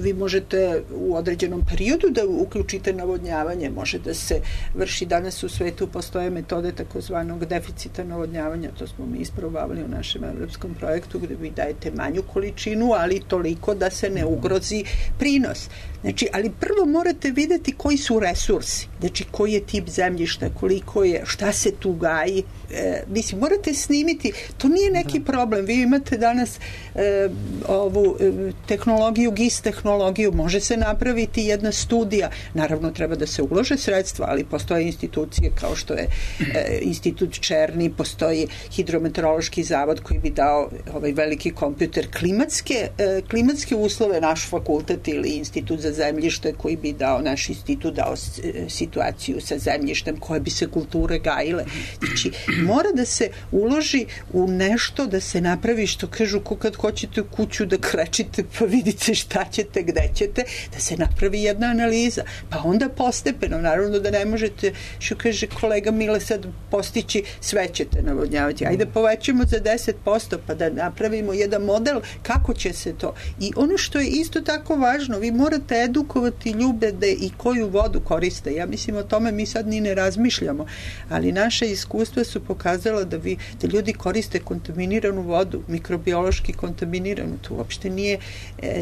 vi možete u određenom periodu da uključite navodnjavanje, može da se vrši, danas u svetu postoje metode takozvanog deficita navodnjavanja, to smo mi isprobavali u našem evropskom projektu, gde vi dajete manju količinu, ali toliko da se ne ugrozi prinos. Znači, ali prvo morate videti koji su resursi, znači koji je tip zemljišta, koliko je, šta se tu gaji. Mislim, morate snimiti, to nije neki problem. Vi imate danas ovu tehnologiju, GIS tehnologiju, može se napraviti jedna studija. Naravno, treba da se ulože sredstva, ali postoje institucije kao što je Institut Černi, postoji Hidrometeorološki zavod koji bi dao ovaj veliki kompjuter, klimatske uslove, naš fakultet ili Institut za zemljište koji bi dao, naš institut dao situaciju sa zemljištem, koje bi se kulture gajile. Znači, mora da se uloži u nešto, da se napravi, što kažu, ko kad hoćete u kuću da krečite pa vidite šta ćete, gde ćete, da se napravi jedna analiza. Pa onda postepeno, naravno da ne možete, što kaže kolega Mile, sad postići sve ćete navodnjavati. Ajde povećamo za 10%, pa da napravimo jedan model kako će se to. I ono što je isto tako važno, vi morate edukovati ljude da i koju vodu koriste. Ja mislim o tome mi sad ni ne razmišljamo, ali naše iskustva su pokazala da ljudi koriste kontaminiranu vodu, mikrobiološki kontaminiranu. To uopšte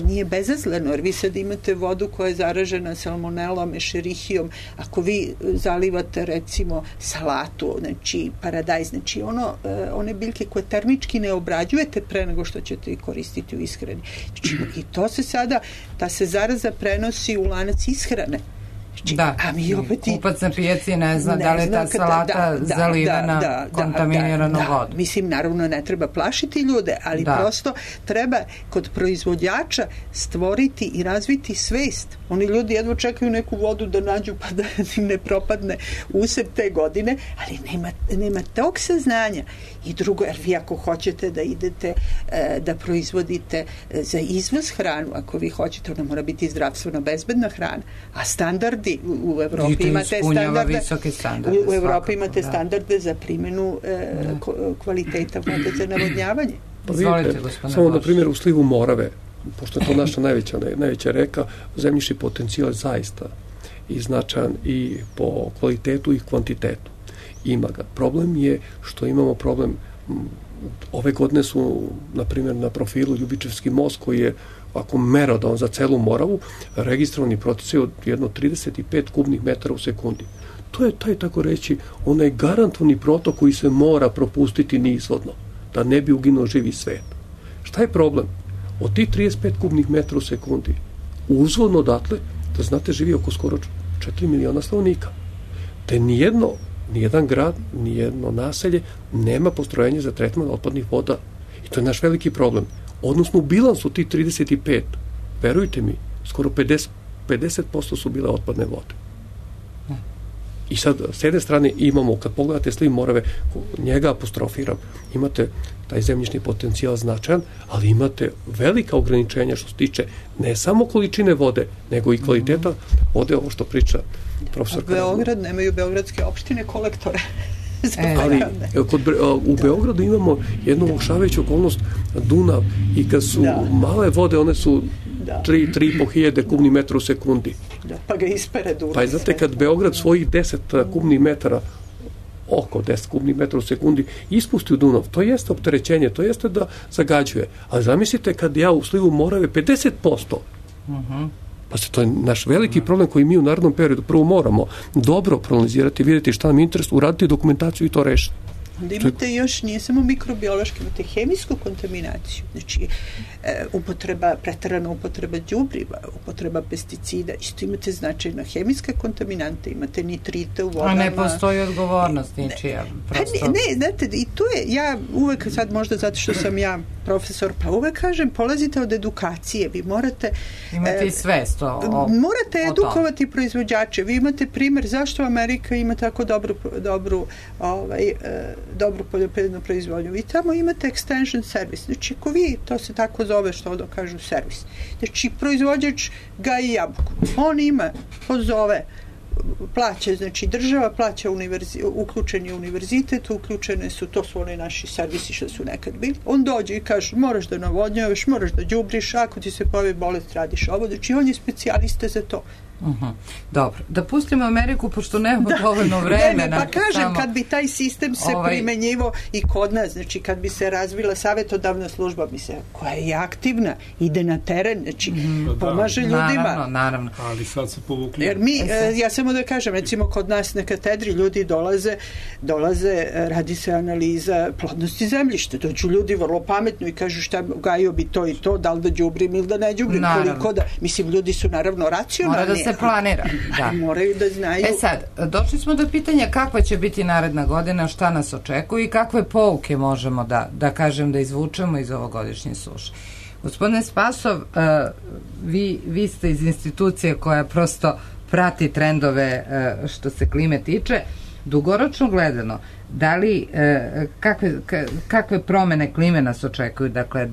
nije bezazleno, jer vi sad imate vodu koja je zaražena salmonelom, ešerihijom. Ako vi zalivate recimo salatu, znači paradajz, znači one biljke koje termički ne obrađujete pre nego što ćete ih koristiti u ishrani. Znači, i to se sada, ta se zaraza prenosi u lanac ishrane. Da, kupac na pijaci ne zna da li je ta salata zalivena kontaminiranom vodom. Mislim, naravno ne treba plašiti ljude, ali prosto treba kod proizvođača stvoriti i razviti svest. Oni ljudi jedva čekaju neku vodu da nađu pa da im ne propadne usep te godine, ali nema tog saznanja. I drugo, jer vi ako hoćete da idete da proizvodite za izvoz hranu, ako vi hoćete, ona mora biti zdravstveno bezbedna hrana, a standardi u Evropi imate standarde, u Evropi imate standarde za primjenu kvaliteta vode za navodnjavanje. Pa vidite, samo na primjer u slivu Morave, pošto je to naša najveća reka, zemljišni potencijal je zaista i značajan i po kvalitetu i kvantitetu. Ima ga. Problem je što imamo problem, ove godine su, na primjer, na profilu Ljubičevski most, koji je ako merodavan za celu Moravu, registrovani proticaj od jedno 35 kubnih metara u sekundi. To je taj, tako reći, onaj garantovani protok koji se mora propustiti nizvodno, da ne bi uginuo živi svet. Šta je problem? Od tih 35 kubnih metara u sekundi, uzvodno odatle, da znate, živi oko skoro 4 miliona stanovnika. Te nijedan grad, nijedno naselje nema postrojenje za tretman otpadnih voda. I to je naš veliki problem. Odnosno, u bilansu tih 35, verujte mi, skoro 50% su bile otpadne vode. I sad, s jedne strane imamo, kad pogledate sliv Morave, njega apostrofiram, imate taj zemljišni potencijal značajan, ali imate velika ograničenja što se tiče ne samo količine vode, nego i kvaliteta vode, ovo što priča profesor Beograd, nemaju beogradske opštine kolektore. Ali u Beogradu imamo jednu olakšavajuću okolnost, Dunav, i kad su male vode, one su 3,5 hiljade kubnih metara u sekundi. Pa ga ispere Dunav. Pa znate, kad Beograd svojih 10 kubnih metara, oko 10 kubnih metara u sekundi, ispusti u Dunav, to jeste opterećenje, to jeste da zagađuje. Ali zamislite kad ja u slivu Morave 50%, pa to je naš veliki problem koji mi u narednom periodu prvo moramo dobro proanalizirati, vidjeti šta nam je interes, uraditi dokumentaciju i to rešiti. Onda imate još, nije samo mikrobiološki, imate hemijsku kontaminaciju, znači preterana upotreba đubriva, upotreba pesticida, isto imate značajna hemijska kontaminanta, imate nitrite u vodama. A ne postoji odgovornost ničija, prosto. Ne, znate, i to je, ja uvek sad možda zato što sam ja profesor, pa uvek kažem, polazite od edukacije, vi morate imate i svest morate edukovati proizvođače. Vi imate primjer zašto Amerika ima tako dobru poljoprivrednu proizvodnju. Vi tamo imate extension service. Znači, ako vi, to se tako zove, što da kažu servis. Znači, proizvođač gaji jabuku. On pozove plaća, znači država plaća uključen je univerzitet, uključene su, to su oni naši servisi što su nekad bili. On dođe i kaže, moraš da navodnjavaš, moraš da đubriš, ako ti se pojavi bolest, radiš ovo, znači on je specijalista za to. Dobro, da pustimo Ameriku, pošto nemamo dovoljno vremena. Pa kažem, kad bi taj sistem se primenjivo i kod nas, znači kad bi se razvila savjetodavna služba, koja je aktivna, ide na teren, znači pomaže ljudima. Naravno. Ali sad se povukli. Jer ja samo da kažem, recimo kod nas na katedri ljudi dolaze, radi se analiza plodnosti zemljišta. Dođu ljudi vrlo pametno i kažu šta gajio bi to i to, da li da đubrim ili da ne đubrim, koliko da, mislim, ljudi su naravno racionalni. Se planira. Da. Moraju da znaju. Sad, došli smo do pitanja kakva će biti naredna godina, šta nas očekuje i kakve pouke možemo da kažem da izvučemo iz ovogodišnje suše. Gospodine Spasov, vi ste iz institucije koja prosto prati trendove što se klime tiče. Dugoročno gledano, da li, kakve promene klime nas očekuju? Dakle,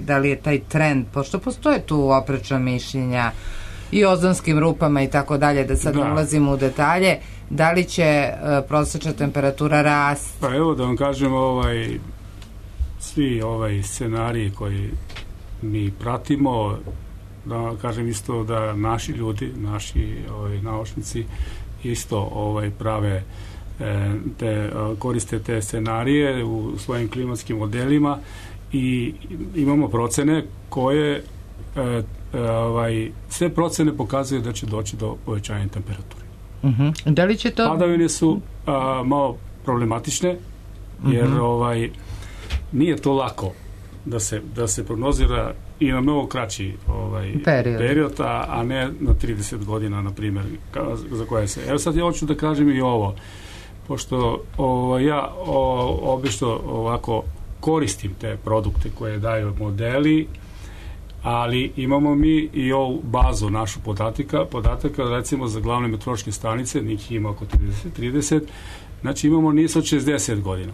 da li je taj trend, pošto postoje tu oprečna mišljenja i ozonskim rupama i tako dalje, da sad ulazimo u detalje, da li će prosječna temperatura rasti? Pa evo da vam kažem, svi scenariji koji mi pratimo, da vam kažem isto da naši ljudi, naši naučnici isto prave koriste te scenarije u svojim klimatskim modelima i imamo procene koje sve procene pokazuju da će doći do povećanja temperature. Da li će to... Padavine su malo problematične, jer nije to lako da se prognozira i na mnogo kraći period, a ne na 30 godina, na primjer, za koje se... Evo sad ja hoću da kažem i ovo, pošto ja obično ovako koristim te produkte koje daju modeli, ali imamo mi i ovu bazu našu podataka recimo za glavne meteorološke stanice, njih ima oko 30, znači imamo niz od 60 godina.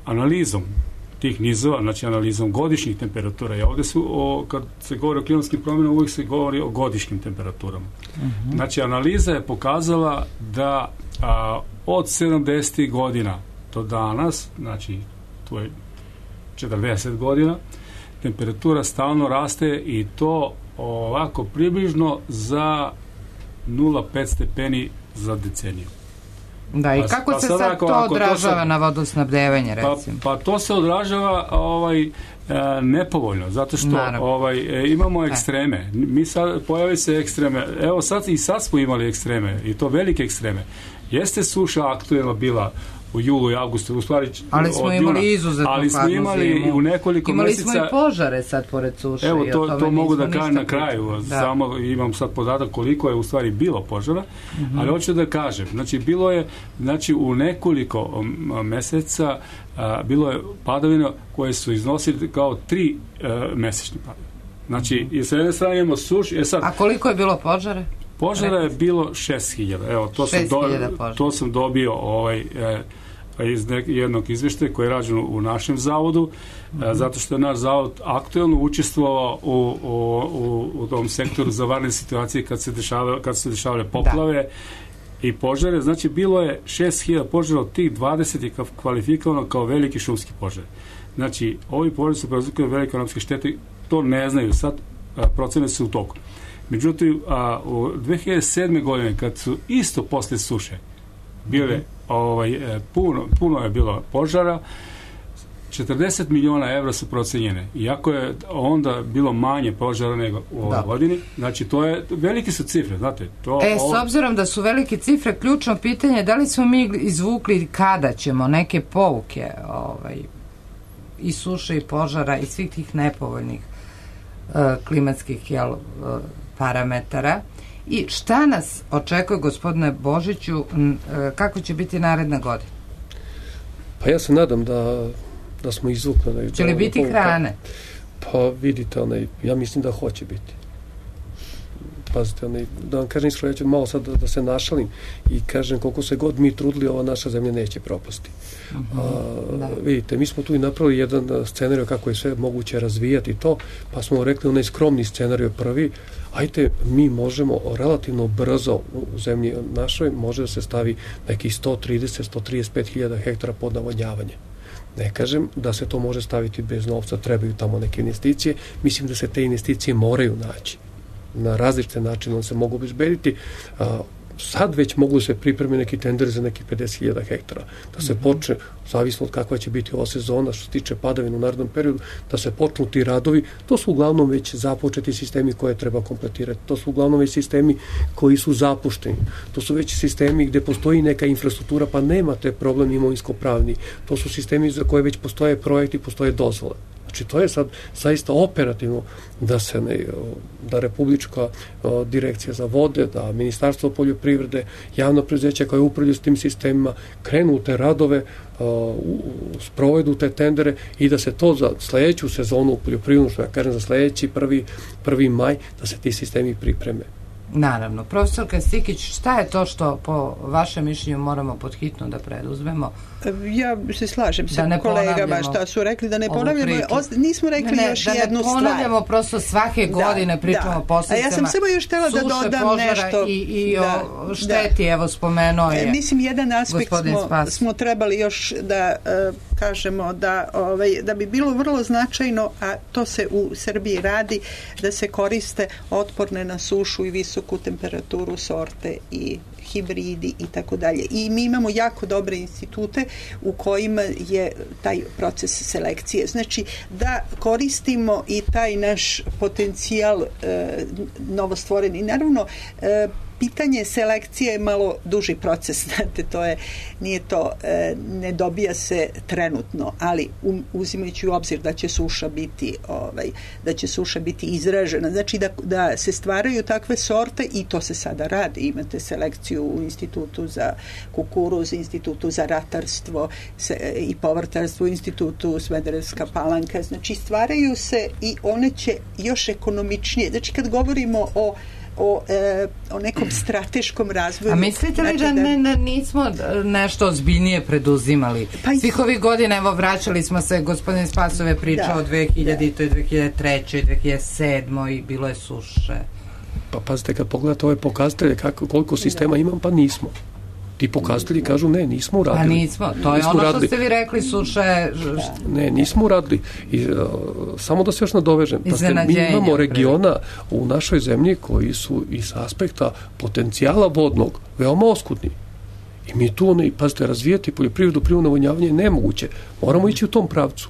Analizom tih nizova, znači analizom godišnjih temperatura, i ovdje su, kad se govori o klimatskim promjenama, uvijek se govori o godišnjim temperaturama. Znači analiza je pokazala da od 70. godina do danas, znači to je 40 godina, temperatura stalno raste i to ovako približno za 0,5 stepeni za deceniju. Da, i kako se sad to odražava na vodosnabdevanje, recimo? Pa to se odražava nepovoljno, zato što imamo ekstreme. Mi sad, pojavi se ekstreme, evo sad smo imali ekstreme, i to velike ekstreme. Jeste suša aktuelna bila u julu i avgustu, u stvari ali smo imali izuzetno ali smo imali u nekoliko mjeseca. Imali smo i požare sad pored suše. Evo, to mogu da kažem na kraju. Samo imam sad podatak koliko je u stvari bilo požara, ali hoću da kažem, znači bilo je, znači u nekoliko mjeseca bilo je padavina koje su iznosili kao 3 mesečne padavine. Znači, i sa jedne strane imamo suš. A koliko je bilo požare? Požara je bilo 6.000. Evo, to sam dobio iz jednog izvještaja koji je rađen u našem zavodu, zato što je naš zavod aktuelno učestvovao u tom sektoru za vanredne situacije kad se dešavale poplave i požare. Znači, bilo je 6.000 požara, od tih 20 je kvalifikovano kao veliki šumski požar. Znači, ovi požari su prouzrokovali velike ekonomske štete, to ne znaju sad, procene su u toku. Međutim, u 2007. godine, kad su isto posle suše bile, puno je bilo požara, 40 miliona evra su procenjene. Iako je onda bilo manje požara nego u ovoj godini, znači velike su cifre, znate. S obzirom da su velike cifre, ključno pitanje je da li smo mi izvukli kada ćemo neke pouke i suše i požara i svih tih nepovoljnih klimatskih parametara. I šta nas očekuje, gospodine Božiću, kako će biti naredna godina? Pa ja se nadam da smo izvukli. Će li biti hrane? Pa vidite, ja mislim da hoće biti. pazite, da vam kažem iskreno, ja ću malo sad da se našalim i kažem koliko se god mi trudili, ova naša zemlja neće propasti. Vidite, mi smo tu i napravili jedan scenarij kako je sve moguće razvijati to, pa smo rekli onaj skromni scenarij prvi, ajte, mi možemo relativno brzo u zemlji našoj, može da se stavi nekih 130-135 hiljada hektara pod navodnjavanje. Ne kažem da se to može staviti bez novca, trebaju tamo neke investicije, mislim da se te investicije moraju naći. Na različite načine se mogu obezbediti. Sad već mogu se pripremiti neki tender za neki 50.000 hektara. Da se počne, zavisno od kakva će biti ova sezona, što se tiče padavina u narednom periodu, da se počnu ti radovi. To su uglavnom već započeti sistemi koje treba kompletirati. To su uglavnom već sistemi koji su zapušteni. To su već sistemi gde postoji neka infrastruktura, pa nemate problem imovinsko-pravni. To su sistemi za koje već postoje projekti, postoje dozvole. Znači, to je sad zaista operativno da Republička direkcija za vode, da Ministarstvo poljoprivrede, javno preduzeće koje upravljaju s tim sistemima, krenu u te radove, sprovedu te tendere i da se to za sledeću sezonu u poljoprivrednu, što ja kažem za sledeći 1. maj, da se ti sistemi pripreme. Naravno. Profesorka Stikić, šta je to što po vašem mišljenju moramo podhitno da preduzmemo? Ja se slažem sa kolegama šta su rekli, da ne ponavljamo, nismo rekli još jednu stvar. Da ne ponavljamo, prosto svake godine pričamo o posledicama. A ja sam samo još htela da dodam nešto. I o šteti, evo spomenuo je mislim, jedan aspekt smo trebali još da kažemo da bi bilo vrlo značajno, a to se u Srbiji radi, da se koriste otporne na sušu i visoku temperaturu sorte i hibridi i tako dalje. I mi imamo jako dobre institute u kojima je taj proces selekcije. Znači, da koristimo i taj naš potencijal novostvoreni. Naravno, pitanje selekcije je malo duži proces, znate, ne dobija se trenutno, ali uzimajući u obzir da će suša biti izražena, znači da se stvaraju takve sorte i to se sada radi. Imate selekciju u Institutu za kukuruz, Institutu za ratarstvo i povrtarstvo, Institutu Smederevska Palanka, znači stvaraju se i one će još ekonomičnije. Znači, kad govorimo o nekom strateškom razvoju. A mislite li da nismo nešto ozbiljnije preduzimali? Svih ovih godina, evo, vraćali smo se, gospodin Spasov je pričao o 2000, 2003, 2007 i bilo je suše. Pa pazite, kad pogledate ove pokazatelje koliko sistema imam, pa nismo. Ti pokazatelji kažu ne, nismo uradili. Pa nismo, to je ono što ste vi rekli, suše. Ne, nismo uradili. Samo da se još nadovežem. Mi imamo regiona u našoj zemlji koji su iz aspekta potencijala vodnog veoma oskudni. I mi tu, pazite, razvijati poljoprivredu, prirodno navodnjavanje je nemoguće. Moramo ići u tom pravcu.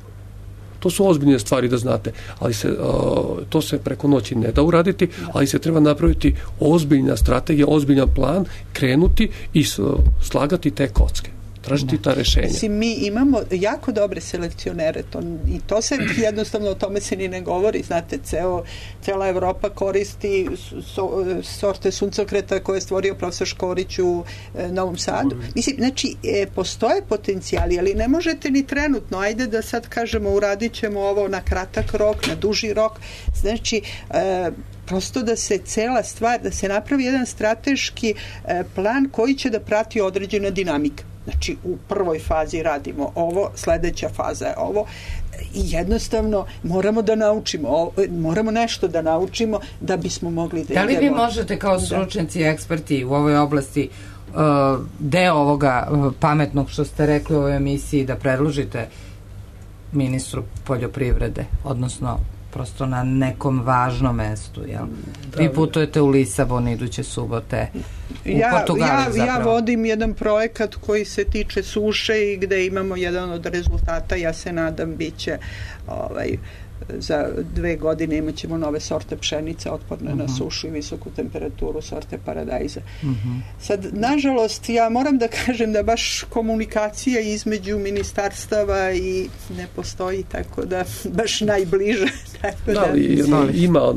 To su ozbiljne stvari, da znate, ali to se preko noći ne da uraditi, ali se treba napraviti ozbiljna strategija, ozbiljan plan, krenuti i slagati te kocke, tražiti ta rešenja. Mislim, mi imamo jako dobre selekcionere i to se jednostavno, o tome se ni ne govori, znate, cela Evropa koristi sorte suncokreta koje je stvorio profesor Škorić u Novom Sadu. Mislim, znači, postoje potencijali, ali ne možete ni trenutno, ajde da sad kažemo uradit ćemo ovo na kratak rok, na duži rok, znači prosto da se cela stvar, da se napravi jedan strateški plan koji će da prati određena dinamika. Znači, u prvoj fazi radimo ovo, sledeća faza je ovo i jednostavno moramo da naučimo, moramo nešto da naučimo da bismo mogli da idemo. Da li vi možete kao stručnjaci i eksperti u ovoj oblasti deo ovoga pametnog što ste rekli u ovoj emisiji da predložite ministru poljoprivrede, odnosno prosto na nekom važnom mestu, jel? Vi putujete u Lisabon iduće subote, u Portugaliju zapravo. Ja vodim jedan projekat koji se tiče suše i gde imamo jedan od rezultata, ja se nadam, bit će za 2 godine imat ćemo nove sorte pšenice otporne na sušu i visoku temperaturu, sorte paradajza. Sad, nažalost, ja moram da kažem da baš komunikacija između ministarstava i ne postoji, tako da baš najbliže. Ima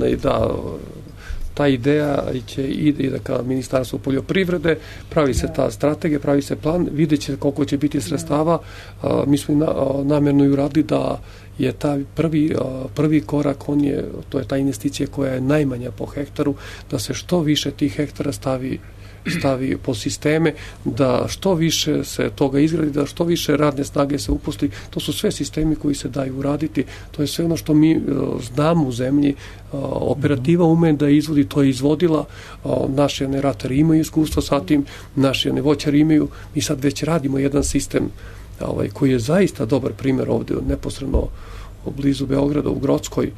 ta ideja ide ka Ministarstvu poljoprivrede, pravi se ta strategija, pravi se plan, vidjet će koliko će biti sredstava. Mi smo namjerno i uradili da je taj prvi korak, to je ta investicija koja je najmanja po hektaru, da se što više tih hektara stavi po sisteme, da što više se toga izgradi, da što više radne snage se uposli. To su sve sistemi koji se daju uraditi. To je sve ono što mi znamo u zemlji. Operativa ume da izvodi, to je izvodila. Naši ratari imaju iskustva sa tim, naši voćari imaju. Mi sad već radimo jedan sistem koji je zaista dobar primjer ovdje, neposredno blizu Beograda, u Grockoj.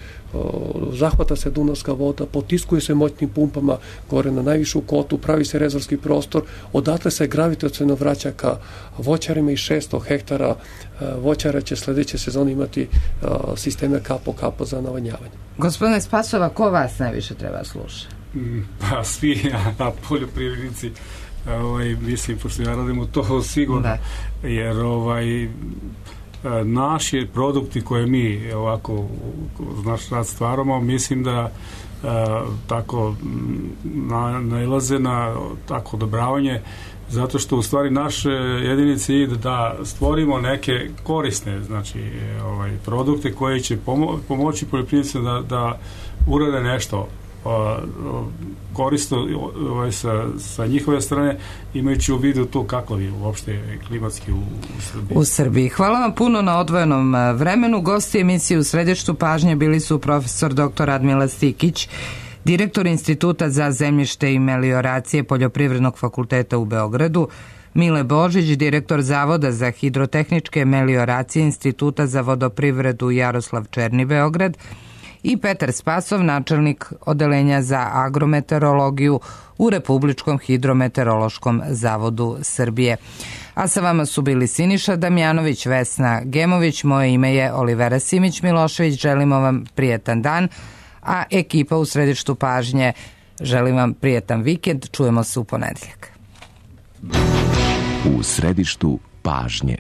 Zahvata se Dunavska voda, potiskuje se moćnim pumpama gore na najvišu kotu, pravi se rezervski prostor, odatle se gravitaciono vraća ka voćarima i 600 hektara voćara će sledeće sezone imati sisteme kapo za navodnjavanje. Gospodine Spasova, ko vas najviše treba slušati? Pa svi, poljoprivrednici, mislim, pošto ja radim to sigurno, jer naši produkti koje mi ovako naš rad stvaramo, mislim da tako nailaze na tako odobravanje, zato što u stvari naš jedini cilj da stvorimo neke korisne, znači produkte koje će pomoći poljoprivrednicima da urade nešto korisno sa njihove strane, imajući u vidu to kakav je uopšte klimatski u Srbiji. Hvala vam puno na odvojenom vremenu. Gosti emisije u središtu pažnje bili su profesor dr. Radmila Stikić, direktor Instituta za zemljište i melioracije Poljoprivrednog fakulteta u Beogradu, Mile Božić, direktor Zavoda za hidrotehničke melioracije Instituta za vodoprivredu Jaroslav Černi, Beograd, i Petar Spasov, načelnik Odeljenja za agrometeorologiju u Republičkom hidrometeorološkom zavodu Srbije. A sa vama su bili Siniša Damjanović, Vesna Gemović, moje ime je Olivera Simić-Milošević, želimo vam prijetan dan, a ekipa u središtu pažnje želim vam prijetan vikend, čujemo se u ponedeljak. U središtu pažnje.